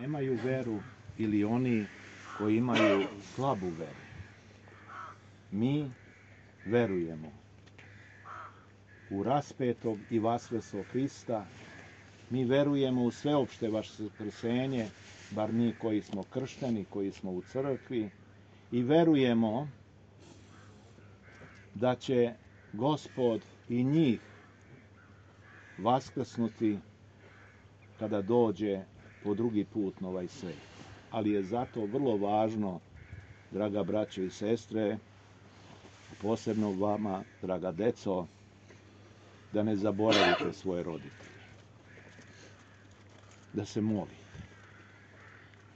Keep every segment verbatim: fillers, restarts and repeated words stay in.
nemaju veru ili oni koji imaju slabu veru. Mi verujemo u raspetog i vaskreslog Hrista, mi verujemo u sveopšte vaskrsenje, bar mi koji smo kršteni, koji smo u crkvi, i verujemo da će Gospod i njih vaskrsnuti kada dođe po drugi put na ovaj svet. Ali je zato vrlo važno, draga braćo i sestre, posebno vama, draga deco, da ne zaboravite svoje roditelje. Da se molite.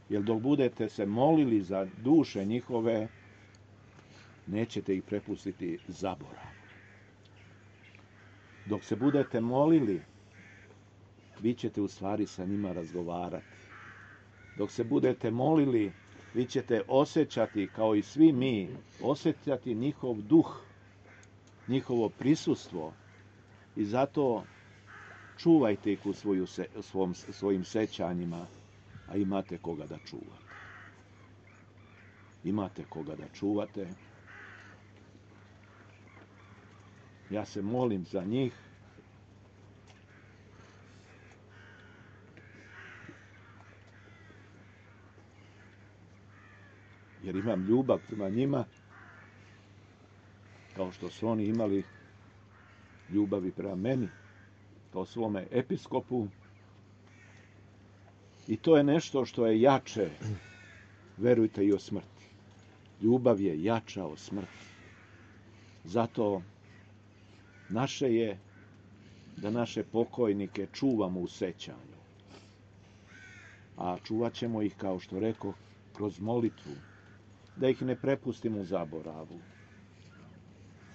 Jer dok budete se molili za duše njihove, nećete ih prepustiti zaboravu. Dok se budete molili, vi ćete u stvari sa njima razgovarati. Dok se budete molili, vi ćete osjećati, kao i svi mi, osjećati njihov duh, njihovo prisustvo, i zato čuvajte ih u svoju, svom, svojim sećanjima, a imate koga da čuvate. Imate koga da čuvate. Ja se molim za njih. Jer imam ljubav prema njima, kao što su oni imali ljubavi prema meni, kao svome episkopu. I to je nešto što je jače, verujte, i o smrti. Ljubav je jača od smrti. Zato naše je da naše pokojnike čuvamo u sećanju. A čuvat ćemo ih, kao što rekao, kroz molitvu. Da ih ne prepustimo u zaboravu.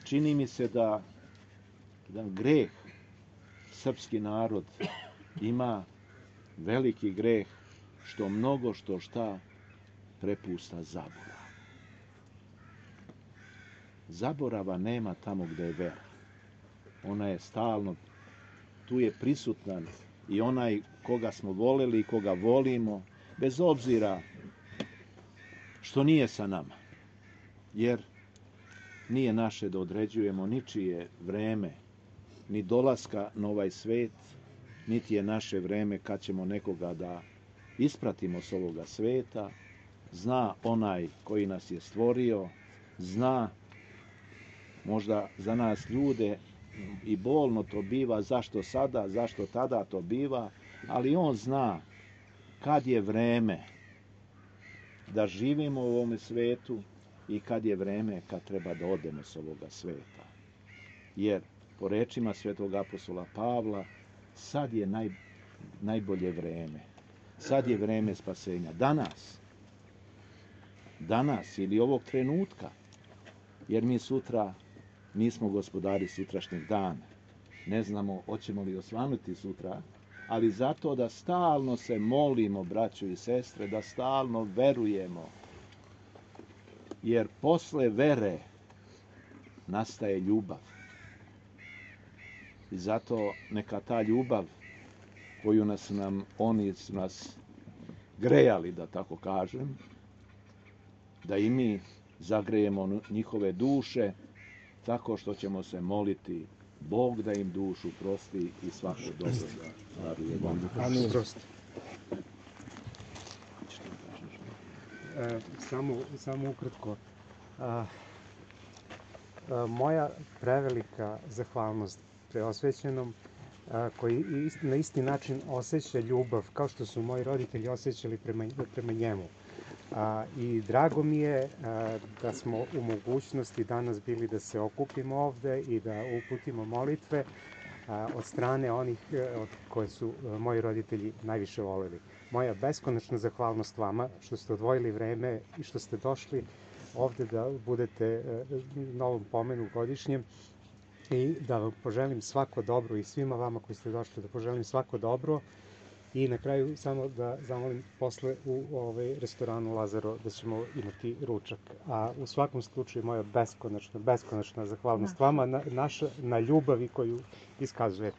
Čini mi se da jedan greh srpski narod ima, veliki greh, što mnogo što šta prepusta zaboravu. Zaborava nema tamo gde je vera. Ona je stalno, tu je prisutan i onaj koga smo voleli i koga volimo, bez obzira što nije sa nama. Jer nije naše da određujemo ničije vreme, ni dolaska na ovaj svet, niti je naše vreme kad ćemo nekoga da ispratimo s ovoga sveta. Zna onaj koji nas je stvorio, zna možda za nas ljude i bolno to biva, zašto sada, zašto tada to biva, ali on zna kad je vreme da živimo u ovome svetu i kad je vreme kad treba da odemo s ovoga sveta. Jer, po rečima svetog apostola Pavla, sad je naj, najbolje vreme. Sad je vreme spasenja. Danas. Danas ili ovog trenutka. Jer mi sutra nismo gospodari sutrašnjeg dana. Ne znamo hoćemo li osvanuti sutra, ali zato da stalno se molimo, braćo i sestre, da stalno verujemo. Jer posle vere nastaje ljubav. I zato neka ta ljubav koju nas nam, oni su nas grejali, da tako kažem, da i mi zagrejemo njihove duše tako što ćemo se moliti Bog da im dušu prosti i svako dobro da daruje. Amin. E, samo, samo ukratko. A, a, moja prevelika zahvalnost preosvećenom, a, koji ist, na isti način osjeća ljubav kao što su moji roditelji osjećali prema, prema njemu. A, I drago mi je a, da smo u mogućnosti danas bili da se okupimo ovde i da uputimo molitve a, od strane onih a, od koje su a, moji roditelji najviše voleli. Moja beskonačna zahvalnost vama što ste odvojili vreme i što ste došli ovde da budete a, na ovom pomenu godišnjem i da vam poželim svako dobro i svima vama koji ste došli da poželim svako dobro. I na kraju samo da zamolim posle u ovaj restoranu Lazaro da ćemo imati ručak. A u svakom slučaju moja beskonačna, beskonačna zahvalnost vama na, naša, na ljubavi koju iskazujete.